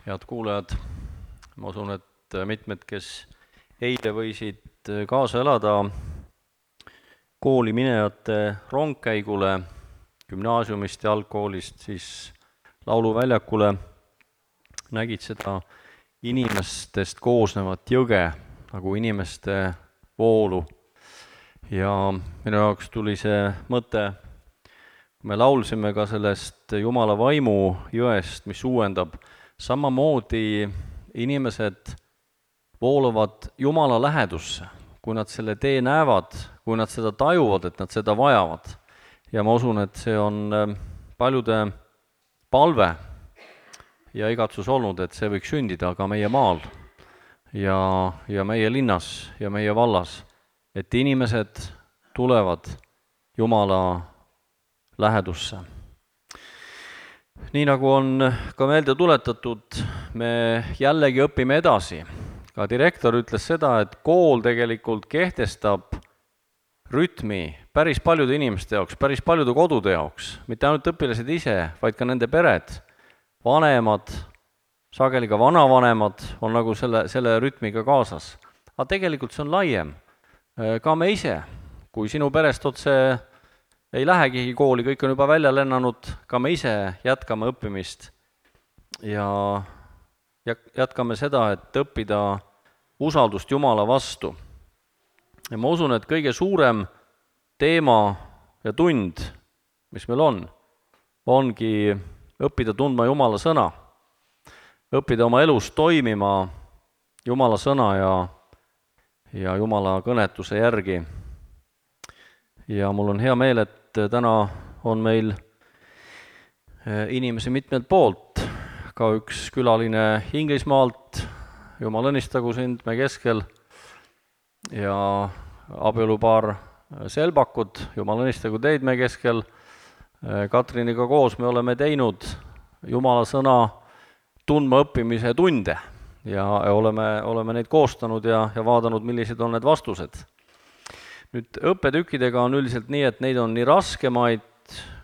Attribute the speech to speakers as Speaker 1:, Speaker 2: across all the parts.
Speaker 1: Head kuulajad, ma usun, et mitmed, kes eile võisid kaasa elada kooli minejate rongkäigule gümnaasiumist ja algkoolist siis lauluväljakule, nägid seda inimestest koosnevat jõge, nagu inimeste voolu. Ja minu jaoks tuli see mõte, me laulsime ka sellest Jumala vaimu jõest, mis uuendab. Samamoodi inimesed voolavad Jumala lähedusse, kui nad selle tee näevad, kui nad seda tajuvad, et nad seda vajavad. Ja ma usun, et see on paljude palve ja igatsus olnud, et see võiks sündida ka meie maal ja meie linnas ja meie vallas, et inimesed tulevad Jumala lähedusse. Nii nagu on ka meelde tuletatud, me jällegi õpime edasi. Ka direktor ütles seda, et kool tegelikult kehtestab rütmi päris paljude inimeste jaoks, päris paljude kodude jaoks, mitte ainult õpilased ise, vaid ka nende pered, vanemad, sageli ka vanavanemad on nagu selle rütmiga kaasas. Aga tegelikult see on laiem. Ka me ise, kui sinu perest otse ei lähegi kooli, kõik on juba välja lennanud, ka me ise jätkame õppimist ja jätkame seda, et õppida usaldust Jumala vastu. Ja ma usun, et kõige suurem teema ja tund, mis meil ongi õppida tundma Jumala sõna, õppida oma elus toimima Jumala sõna ja Jumala kõnetuse järgi. Ja mul on hea meel, et täna on meil inimesi mitmelt poolt, ka üks külaline Inglismaalt, Jumal õnnistagu sind me keskel, ja abielupaar Selbakud, Jumal õnnistagu teid me keskel. Katriniga koos me oleme teinud Jumala sõna tundma õppimise tunde ja oleme neid koostanud ja vaadanud, millised on need vastused. Nüüd õppetükkidega on üldiselt nii, et neid on nii raskemaid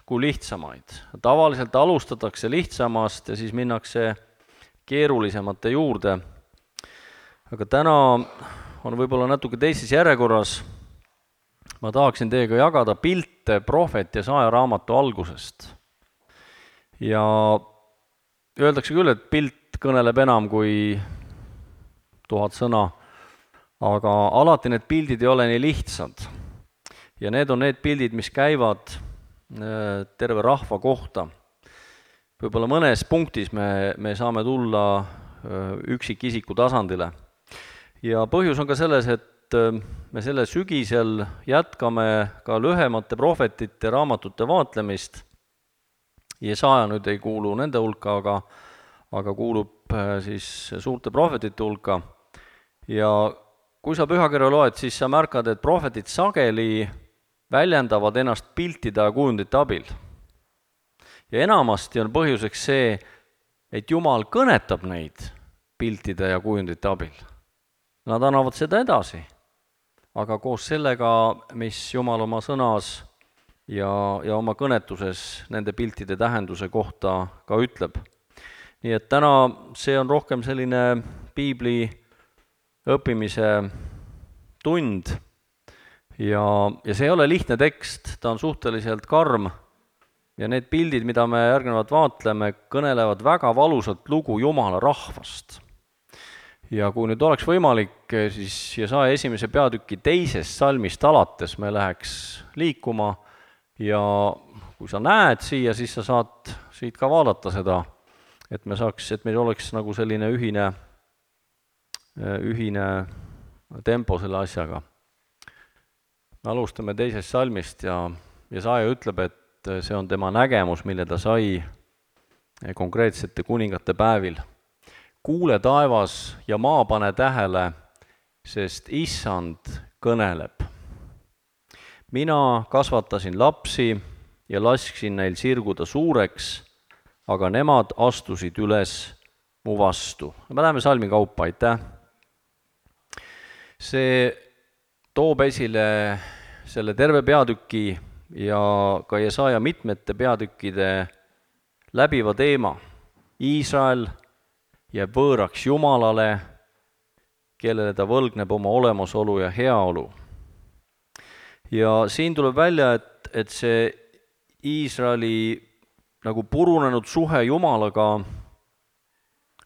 Speaker 1: kui lihtsamaid. Tavaliselt alustatakse lihtsamast ja siis minnakse keerulisemate juurde. Aga täna on võib-olla natuke teises järjekorras. Ma tahaksin teiega jagada pilte prohvet Jesaja raamatu algusest. Ja öeldakse küll, et pilt kõneleb enam kui 1000 sõna. Aga alati need pildid ei ole nii lihtsad. Ja need on need pildid, mis käivad terve rahva kohta. Võib-olla mõnes punktis me saame tulla üksikisiku tasandile. Ja põhjus on ka selles, et me selle sügisel jätkame ka lühemate prohvetite raamatute vaatlemist. Jesaja nüüd ei kuulu nende hulka, aga kuulub siis suurte prohvetite hulka. Ja kui sa pühakirja loed, siis sa märkad, et prohvetid sageli väljendavad ennast piltide ja kujundite abil. Ja enamasti on põhjuseks see, et Jumal kõnetab neid piltide ja kujundite abil. Nad annavad seda edasi, aga koos sellega, mis Jumal oma sõnas ja oma kõnetuses nende piltide tähenduse kohta ka ütleb. Nii et täna see on rohkem selline piibli õppimise tund ja see ei ole lihtne tekst, ta on suhteliselt karm ja need pildid, mida me järgnevalt vaatleme, kõnelevad väga valusat lugu Jumala rahvast. Ja kui nüüd oleks võimalik, siis Jesaja 1. peatüki 2. salmist alates me läheks liikuma ja kui sa näed siia, siis sa saad siit ka vaadata seda, et meil oleks nagu selline ühine tempo selle asjaga. Me alustame 2. salmist ja Jesaja ütleb, et see on tema nägemus, mille ta sai konkreetsete kuningate päevil. Kuule taevas ja maa pane tähele, sest Issand kõneleb. Mina kasvatasin lapsi ja lasksin neil sirguda suureks, aga nemad astusid üles mu vastu. Me läheme salmi kaupa, aitäh. See toob esile selle terve peatüki ja ka Jesaja mitmete peatükkide läbiva teema. Iisrael jääb võõraks Jumalale, kellele ta võlgneb oma olemasolu ja heaolu. Ja siin tuleb välja, et see Iisraeli nagu purunenud suhe Jumalaga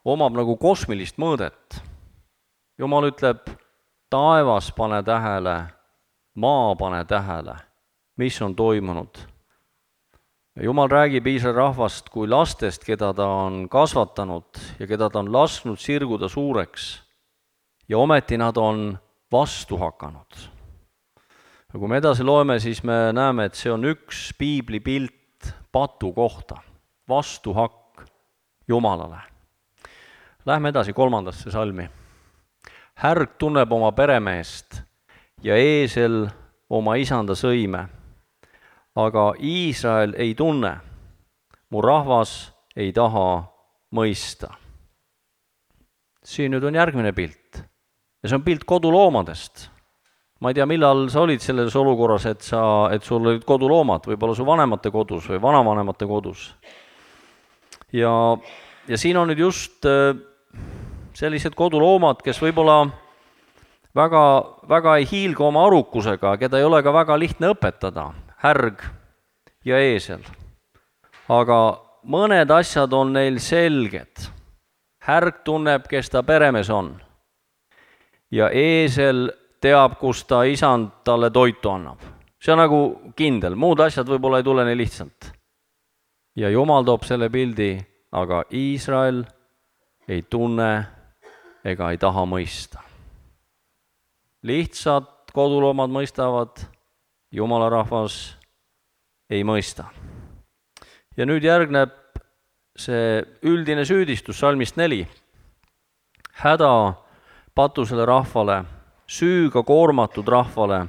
Speaker 1: omab nagu kosmilist mõõdet. Jumal ütleb, taevas pane tähele, maa pane tähele, mis on toimunud. Jumal räägib Iisraeli rahvast kui lastest, keda ta on kasvatanud ja keda ta on lasknud sirguda suureks. Ja ometi nad on vastu hakanud. Ja kui me edasi loeme, siis me näeme, et see on üks piibli pilt patu kohta, vastuhakk Jumalale. Lähme edasi 3. salmi. Härg tunneb oma peremeest ja eesel oma isanda sõime. Aga Iisrael ei tunne, mu rahvas ei taha mõista. Siin nüüd on järgmine pilt. Ja see on pilt koduloomadest. Ma ei tea, millal sa olid selles olukorras, et sul olid koduloomad, võib-olla su vanemate kodus või vanavanemate kodus. Ja siin on nüüd just sellised koduloomad, kes võib-olla väga ei hiilga oma arukusega, keda ei ole ka väga lihtne õpetada, härg ja eesel. Aga mõned asjad on neil selged. Härg tunneb, kes ta peremees on. Ja eesel teab, kus ta isand talle toitu annab. See on nagu kindel, muud asjad võib-olla ei tule nii lihtsalt. Ja Jumal toob selle pildi, aga Iisrael ei tunne ega ei taha mõista. Lihtsad koduloomad mõistavad, Jumala rahvas ei mõista. Ja nüüd järgneb see üldine süüdistus salmist 4. Häda patusele rahvale, süüga koormatud rahvale,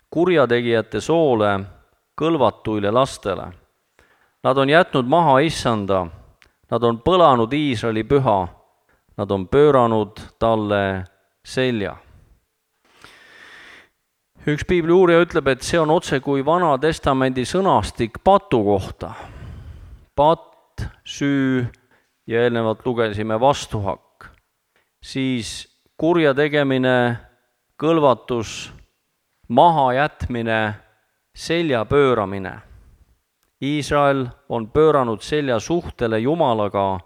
Speaker 1: kurjategijate soole, kõlvatuile lastele. Nad on jätnud maha issanda, nad on põlanud Iisraeli püha, nad on pööranud talle selja. Üks piibli uurija ütleb, et see on otse kui Vana Testamendi sõnastik patu kohta. Patt, süü ja eelnevalt lugesime vastuhakk. Siis kurja tegemine, kõlvatus, maha jätmine, selja pööramine. Iisrael on pööranud selja suhtele Jumalaga,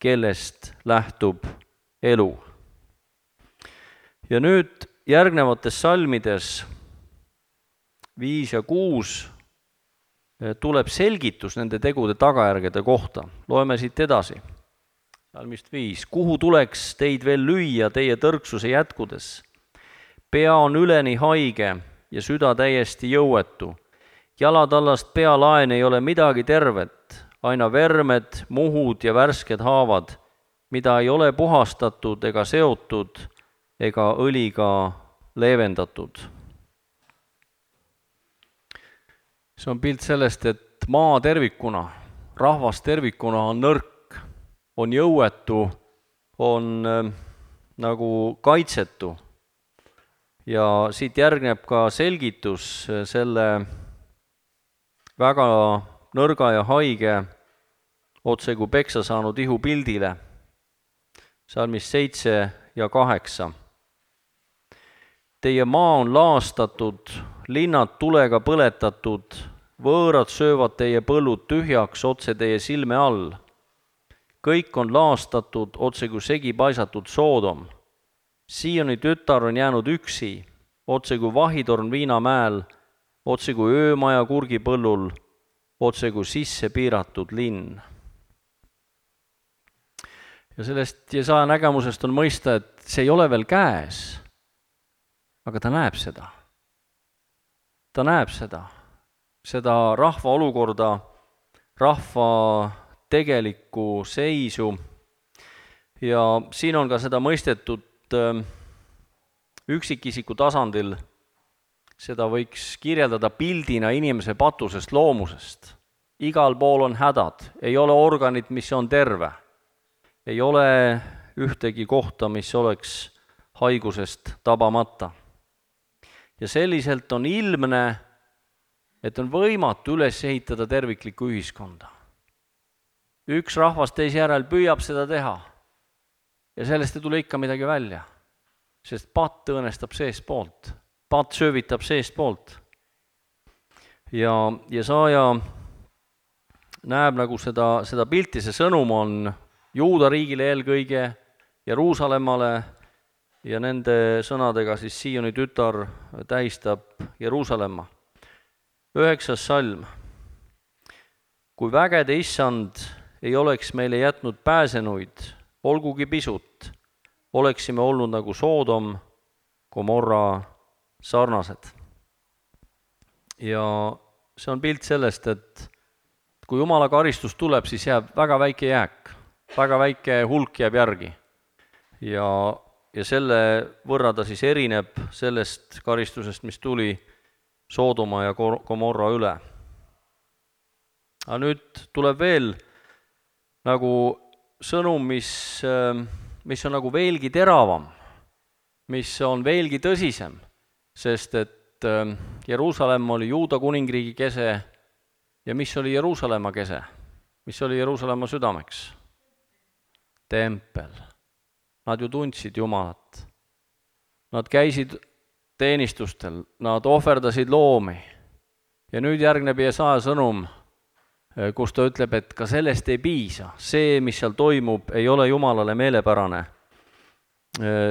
Speaker 1: kellest lähtub elu. Ja nüüd järgnevates salmides 5 ja 6 tuleb selgitus nende tegude tagajärgede kohta. Loeme siit edasi. Salmist 5. Kuhu tuleks teid veel lüüa teie tõrksuse jätkudes? Pea on üleni haige ja süda täiesti jõuetu. Jalatallast pealaen ei ole midagi tervet, aina vermed, muhud ja värsked haavad, mida ei ole puhastatud ega seotud ega õliga leevendatud. See on pilt sellest, et maa tervikuna, rahvas tervikuna on nõrk, on jõuetu, on nagu kaitsetu. Ja siit järgneb ka selgitus selle väga nõrga ja haige, otse kui peksa saanud ihu pildile. Salmis 7 ja 8. Teie maa on laastatud, linnad tulega põletatud, võõrad söövad teie põllud tühjaks otse teie silme all. Kõik on laastatud, otse kui segi paisatud Soodom. Sioni tütar on jäänud üksi, otse kui vahitorn Viinamäel, otse kui öömaja kurgipõllul, otse kui sisse piiratud linn. Ja sellest Jesaja nägemusest on mõista, et see ei ole veel käes, aga ta näeb seda. Ta näeb seda rahva olukorda, rahva tegelikku seisu. Ja siin on ka seda mõistetud üksikisiku tasandil, seda võiks kirjeldada pildina inimese patusest loomusest. Igal pool on hädad, ei ole organit, mis on terve. Ei ole ühtegi kohta, mis oleks haigusest tabamata. Ja selliselt on ilmne, et on võimatu üles ehitada terviklikku ühiskonda. Üks rahvas teise järel püüab seda teha. ja sellest ei tule ikka midagi välja. Sest patt õõnestab seestpoolt, patt söövitab seestpoolt. Ja Jesaja näeb nagu seda pilti, see sõnum on Juuda riigile eelkõige, Jeruusalemmale, ja nende sõnadega siis Sioni tütar tähistab Jeruusalemma. 9. salm. Kui vägede issand ei oleks meile jätnud pääsenuid, olgugi pisut, oleksime olnud nagu Soodom, Gomorra sarnased. Ja see on pilt sellest, et kui Jumala karistus tuleb, siis jääb väga väike jääk, väga väike hulk jääb järgi. Ja selle võrra ta siis erineb sellest karistusest, mis tuli Soodoma ja Gomorra üle. Aga nüüd tuleb veel nagu sõnum, mis on nagu veelgi teravam, mis on veelgi tõsisem, sest et Jeruusalemma oli Juuda kuningriigi kese ja mis oli Jeruusalemma kese? Mis oli Jeruusalemma südameks? Tempel. Nad ju tundsid Jumalat. Nad käisid teenistustel, nad ohverdasid loomi. Ja nüüd järgneb Jesaja sõnum, kus ta ütleb, et ka sellest ei piisa. See, mis seal toimub, ei ole Jumalale meelepärane,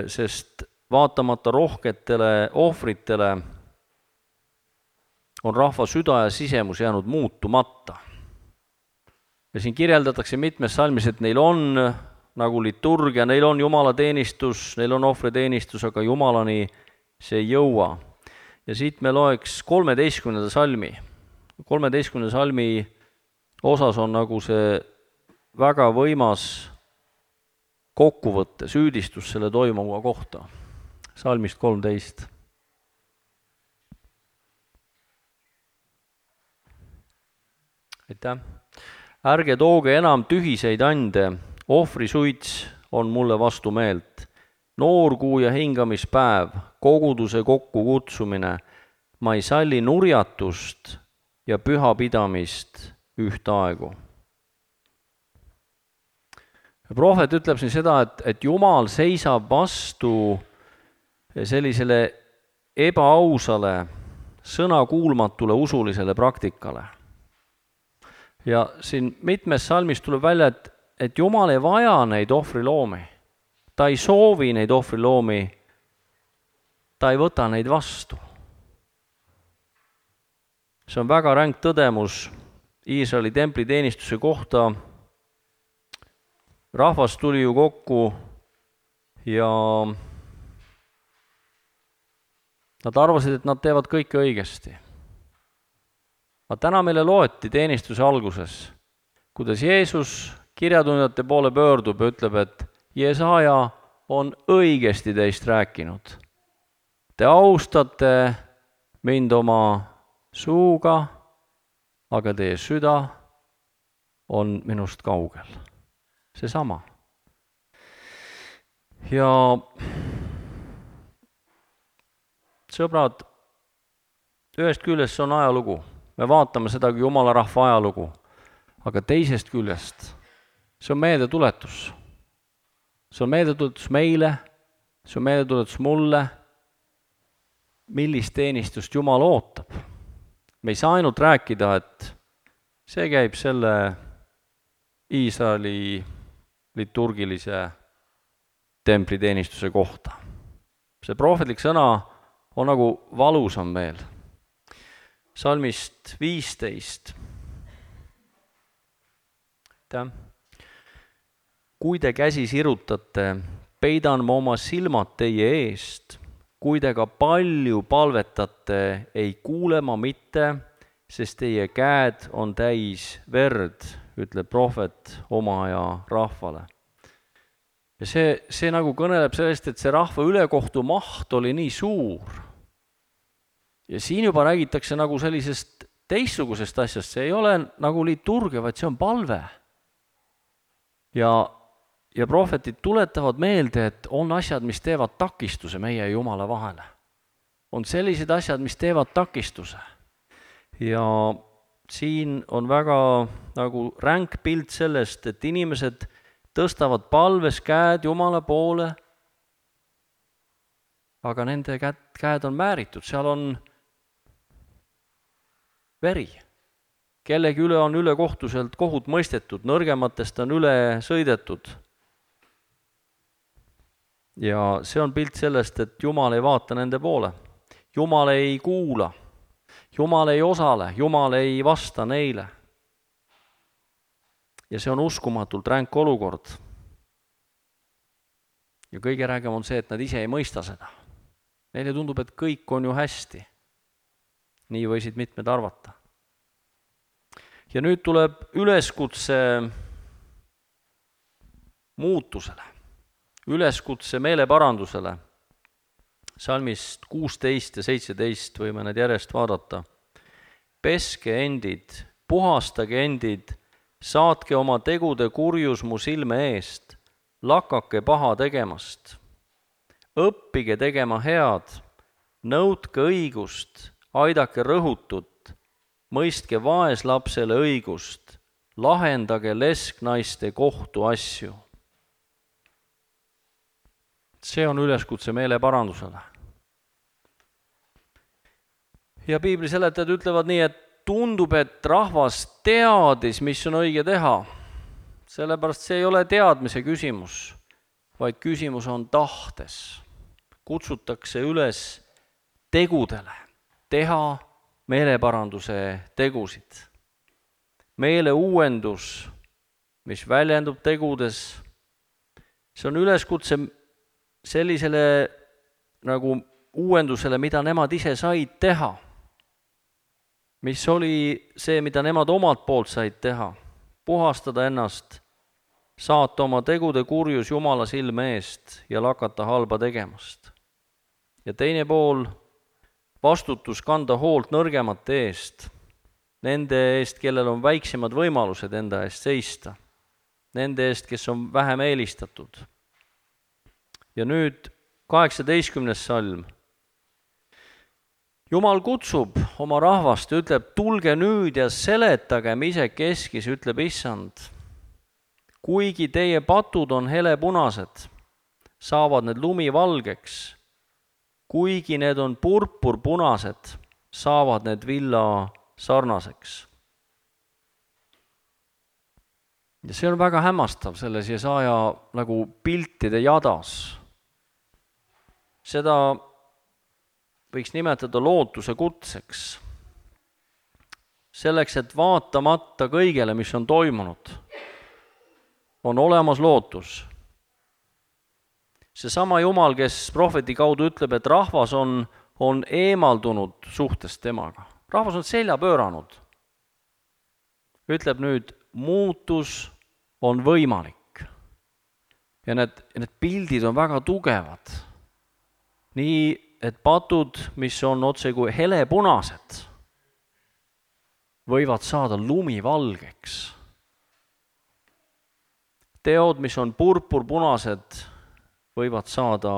Speaker 1: sest vaatamata rohketele ohvritele on rahva süda ja sisemus jäänud muutumata. Ja siin kirjeldatakse mitmes salmis, et neil on nagu liturgia, neil on Jumala teenistus, neil on ohvriteenistus, aga Jumalani see ei jõua. Ja siit me loeks 13. salmi. 13. salmi osas on nagu see väga võimas kokkuvõtte, süüdistus selle toimuva kohta. Salmist 13. Aitäh. Ärge tooge enam tühiseid ande, ohvrisuits on mulle vastu meelt. Noorkuu ja hingamispäev, koguduse kokkukutsumine, ma ei salli nurjatust ja pühapidamist ühtaegu. Prohvet ütleb siin seda, et Jumal seisab vastu sellisele ebaausale, sõnakuulmatule usulisele praktikale. Ja siin mitmes salmis tuleb välja, et Jumal ei vaja neid ohvriloomi. Ta ei soovi neid ohvriloomi, ta ei võta neid vastu. See on väga ränk tõdemus Iisraeli templiteenistuse kohta. Rahvas tuli ju kokku ja nad arvasid, et nad teevad kõike õigesti. Aga täna meile loeti teenistuse alguses, kuidas Jeesus kirjatundjate poole pöördub ja ütleb, et Jesaja on õigesti teist rääkinud. Te austate mind oma suuga, aga teie süda on minust kaugel. Seesama. Ja sõbrad, ühest küljest see on ajalugu. Me vaatame seda kui Jumala rahva ajalugu, aga teisest küljest see on meeldetuletus. See on meeldetuletus meile, see on meeldetuletus mulle, millist teenistust Jumal ootab. Me ei saa ainult rääkida, et see käib selle Iisraeli liturgilise templiteenistuse kohta. See prohvetlik sõna on nagu valusam veel. Salmist 15. Kui te käsi sirutate, peidan ma oma silmad teie eest. Kui te ka palju palvetate, ei kuule ma mitte, sest teie käed on täis verd, ütleb prohvet oma aja rahvale. Ja see nagu kõneleb sellest, et see rahva ülekohtu maht oli nii suur. Ja siin juba räägitakse nagu sellisest teistsugusest asjast, see ei ole nagu liturgia, vaid see on palve. Ja prohvetid tuletavad meelde, et on asjad, mis teevad takistuse meie ja Jumala vahele. On sellised asjad, mis teevad takistuse. Ja siin on väga nagu ränk pilt sellest, et inimesed tõstavad palves käed Jumala poole, aga nende käed on määritud, seal on veri. Kellegi üle on ülekohtuselt kohut mõistetud, nõrgematest on üle sõidetud. Ja see on pilt sellest, et Jumal ei vaata nende poole. Jumal ei kuula, Jumal ei osale, Jumal ei vasta neile. Ja see on uskumatult ränk olukord. Ja kõige räägem on see, et nad ise ei mõista seda. Neile tundub, et kõik on ju hästi. Nii võisid mitmed arvata. Ja nüüd tuleb üleskutse muutusele, üleskutse meeleparandusele. Salmist 16 ja 17 võime need järjest vaadata. Peske endid, puhastage endid, saatke oma tegude kurjus mu silme eest, lakake paha tegemast. Õppige tegema head, nõudke õigust, aidake rõhutut, mõistke vaeslapsele õigust, lahendage lesknaiste kohtuasju. See on üleskutse meeleparandusele. Ja piibli seletajad ütlevad nii, et tundub, et rahvas teadis, mis on õige teha. Sellepärast see ei ole teadmise küsimus, vaid küsimus on tahtes. Kutsutakse üles tegudele, teha meeleparanduse tegusid. Meeleuuendus, mis väljendub tegudes, see on üleskutse sellisele nagu uuendusele, mida nemad ise said teha. Mis oli see, mida nemad omalt poolt said teha. Puhastada ennast, saata oma tegude kurjus Jumala silme eest ja lakata halba tegemast. Ja teine pool, vastutus kanda hoolt nõrgemate eest, nende eest, kellel on väiksemad võimalused enda eest seista, nende eest, kes on vähem eelistatud. Ja nüüd 18. salm. Jumal kutsub oma rahvast ja ütleb, tulge nüüd ja seletagem isekeskis, ütleb Issand. Kuigi teie patud on helepunased, saavad need lumivalgeks. Kuigi need on purpurpunased, saavad need villa sarnaseks. Ja see on väga hämmastav selles Jesaja nagu piltide jadas. Seda võiks nimetada lootuse kutseks. Selleks, et vaatamata kõigele, mis on toimunud, on olemas lootus. Seesama Jumal, kes prohveti kaudu ütleb, et rahvas on eemaldunud suhtest temaga. Rahvas on selja pööranud. Ütleb nüüd, muutus on võimalik. Ja need pildid on väga tugevad. Nii, et patud, mis on otse kui helepunased, võivad saada lumivalgeks. Teod, mis on purpurpunased, võivad saada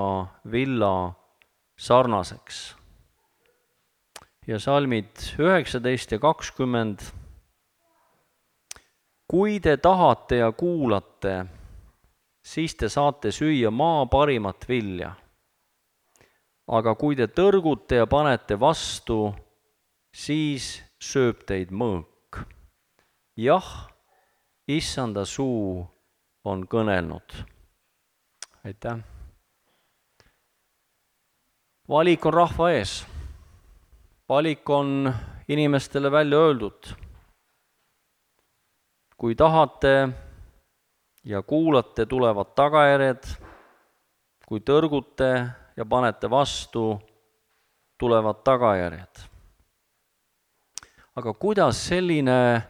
Speaker 1: villa sarnaseks. Ja salmid 19 ja 20. Kui te tahate ja kuulate, siis te saate süüa maa parimat vilja. Aga kui te tõrgute ja panete vastu, siis sööb teid mõõk. Jah, Issanda suu on kõnelnud. Aitäh. Valik on rahva ees. Valik on inimestele välja öeldud. Kui tahate ja kuulate, tulevad tagajärjed. Kui tõrgute ja panete vastu, tulevad tagajärjed. Aga kuidas selline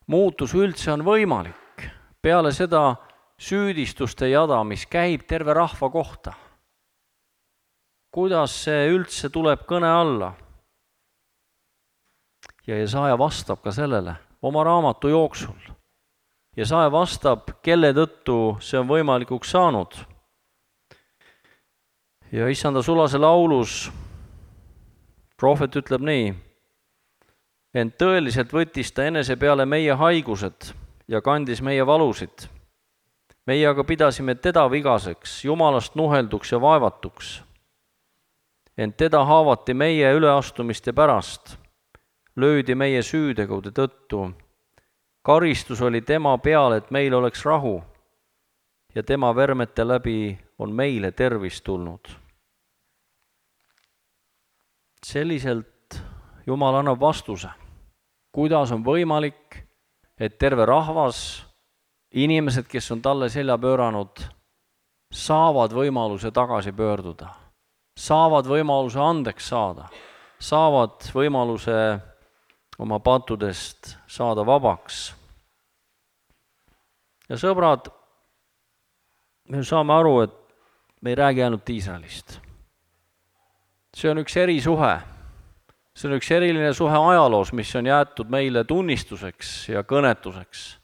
Speaker 1: muutus üldse on võimalik? Peale seda süüdistuste jada, mis käib terve rahva kohta. Kuidas see üldse tuleb kõne alla? Ja Jesaja vastab ka sellele oma raamatu jooksul. Jesaja vastab, kelle tõttu see on võimalikuks saanud. Ja Issanda sulase laulus prohvet ütleb nii, ent tõeliselt võttis ta enese peale meie haigused ja kandis meie valusid. meie aga pidasime teda vigaseks, Jumalast nuhelduks ja vaevatuks. Ent teda haavati meie üleastumiste pärast, löödi meie süütegude tõttu. Karistus oli tema peal, et meil oleks rahu, ja tema vermete läbi on meile tervis tulnud. Selliselt Jumal annab vastuse, kuidas on võimalik, et terve rahvas, inimesed, kes on talle selja pööranud, saavad võimaluse tagasi pöörduda, saavad võimaluse andeks saada, saavad võimaluse oma pattudest saada vabaks. Ja sõbrad, me saame aru, et me ei räägi ainult Iisraelist. See on üks erisuhe. See on üks eriline suhe ajaloos, mis on jäetud meile tunnistuseks ja kõnetuseks.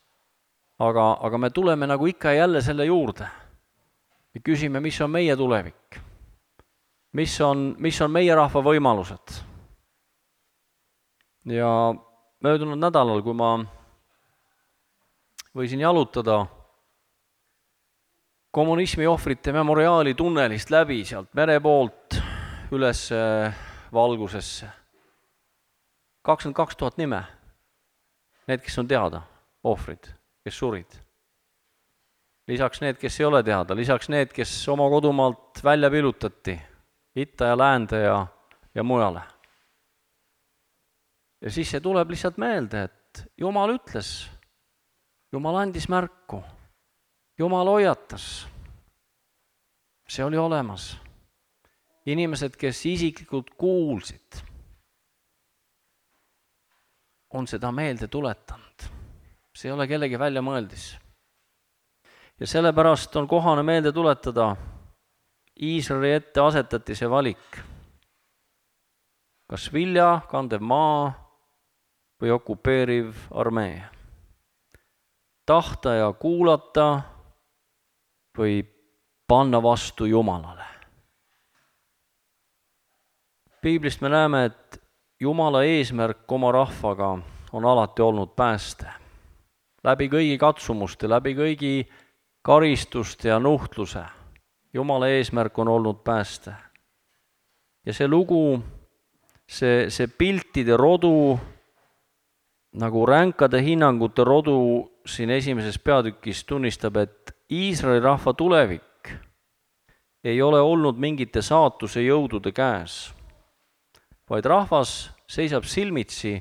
Speaker 1: Aga me tuleme nagu ikka ja jälle selle juurde. Me küsime, mis on meie tulevik? Mis on meie rahva võimalused? Ja möödunud nädalal, kui ma võisin jalutada kommunismi ohvrite memoriaali tunnelist läbi sealt mere poolt üles valgusesse. 22 000 nime. Need, kes on teada, ohvrid, kes surid. Lisaks need, kes ei ole teada, lisaks need, kes oma kodumaalt välja pilutati, itta ja läände ja mujale. Ja siis see tuleb lihtsalt meelde, et Jumal ütles, Jumal andis märku, Jumal hoiatas. See oli olemas. Inimesed, kes isiklikult kuulsid, on seda meelde tuletanud. See ei ole kellegi väljamõeldis. Ja sellepärast on kohane meelde tuletada, Iisraeli ette asetati see valik. Kas vilja, kandev maa või okupeeriv armee. Tahta ja kuulata või panna vastu Jumalale. Piiblist me näeme, et Jumala eesmärk oma rahvaga on alati olnud pääste. Läbi kõigi katsumuste, läbi kõigi karistuste ja nuhtluse. Jumala eesmärk on olnud pääste. Ja see lugu, see piltide rodu, nagu ränkade hinnangute rodu siin esimeses peatükis tunnistab, et Iisraeli rahva tulevik ei ole olnud mingite saatuse jõudude käes, vaid rahvas seisab silmitsi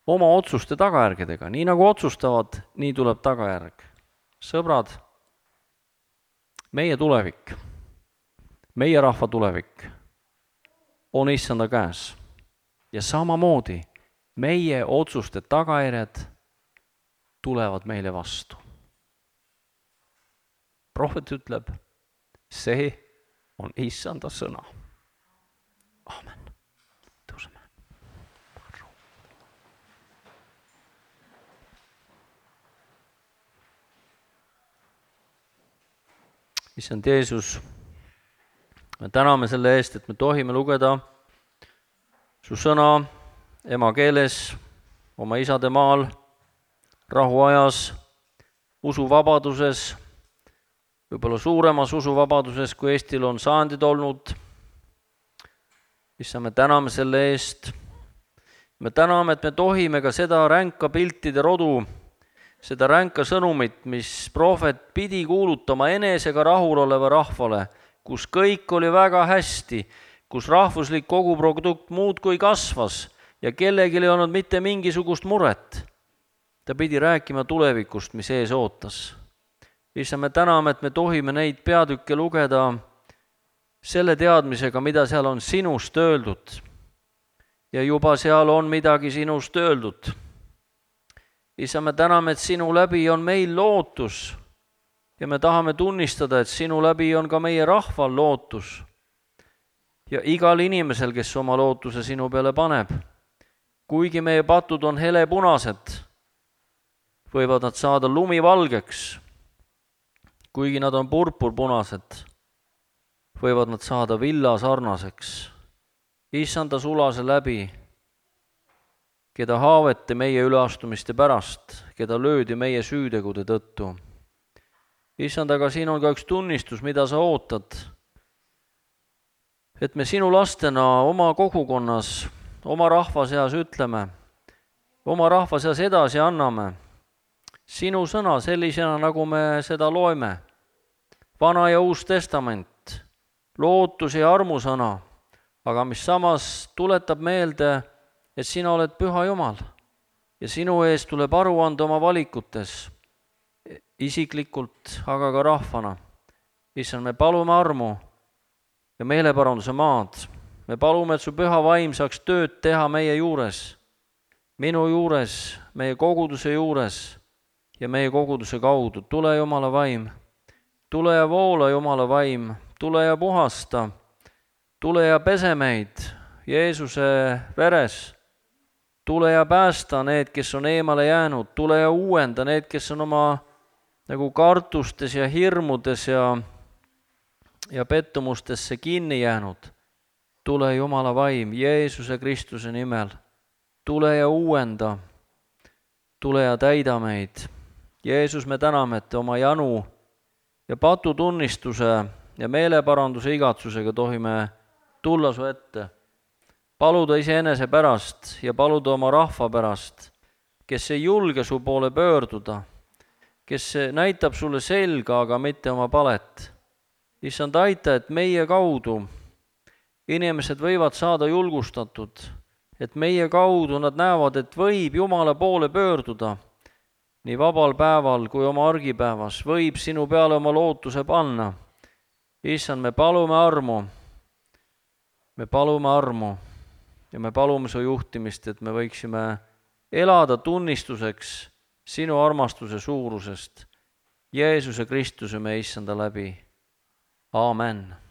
Speaker 1: oma otsuste tagajärgedega. Nii nagu otsustavad, nii tuleb tagajärg. Sõbrad, meie tulevik, meie rahva tulevik on Issanda käes. Ja samamoodi meie otsuste tagajärjed tulevad meile vastu. Prohvet ütleb, see on Issanda sõna. Aamen. Tõuseme. Issand Jeesus, me täname selle eest, et me tohime lugeda su sõna emakeeles, oma isade maal, rahuajas, usuvabaduses, võib-olla suuremas usuvabaduses, kui Eestil on sajandid olnud. Issand, me täname selle eest. Me täname, et me tohime ka seda ränka piltide rodu, seda ränka sõnumit, mis prohvet pidi kuulutama enesega rahul oleva rahvale, kus kõik oli väga hästi, kus rahvuslik koguprodukt muudkui kasvas ja kellelgi ei olnud mitte mingisugust muret. Ta pidi rääkima tulevikust, mis ees ootas. Issand, me täname, et me tohime neid peatükke lugeda selle teadmisega, mida seal on sinust öeldud. Ja juba seal on midagi sinust öeldud. Issand, me täname, et sinu läbi on meil lootus ja me tahame tunnistada, et sinu läbi on ka meie rahval lootus. Ja igal inimesel, kes oma lootuse sinu peale paneb, kuigi meie patud on helepunased, võivad nad saada lumivalgeks. Kuigi nad on purpurpunased, võivad nad saada villa sarnaseks. Issanda sulase läbi, keda haaveti meie üleastumiste pärast, keda löödi meie süütegude tõttu. issand, aga siin on ka üks tunnistus, mida sa ootad. Et me sinu lastena oma kogukonnas, oma rahva seas ütleme, oma rahva seas edasi anname sinu sõna sellisena, nagu me seda loeme. Vana ja Uus Testament, lootus ja armusõna, aga mis samas tuletab meelde, et sina oled püha Jumal ja sinu ees tuleb aru anda oma valikutes, isiklikult, aga ka rahvana. Issand, me palume armu ja meeleparanduse maad. Me palume, et su püha vaim saaks tööd teha meie juures, minu juures, meie koguduse juures ja meie koguduse kaudu. Tule, Jumala vaim, tule ja voola, Jumala vaim, tule ja puhasta, tule ja pese meid Jeesuse veres, tule ja päästa need, kes on eemale jäänud, tule ja uuenda need, kes on oma nagu kartustes ja hirmudes ja pettumustesse kinni jäänud. Tule, Jumala vaim, Jeesuse Kristuse nimel, tule ja uuenda, tule ja täida meid. Jeesus, me täname, et oma janu ja patutunnistuse ja meeleparanduse igatsusega tohime tulla su ette, paluda iseenese pärast ja paluda oma rahva pärast, kes ei julge su poole pöörduda, kes näitab sulle selga, aga mitte oma palet. Issand, aita, et meie kaudu inimesed võivad saada julgustatud, et meie kaudu nad näevad, et võib Jumala poole pöörduda, nii vabal päeval kui oma argipäevas, võib sinu peale oma lootuse panna. Issand, me palume armu ja me palume su juhtimist, et me võiksime elada tunnistuseks sinu armastuse suurusest Jeesuse Kristuse meie issanda läbi. Aamen.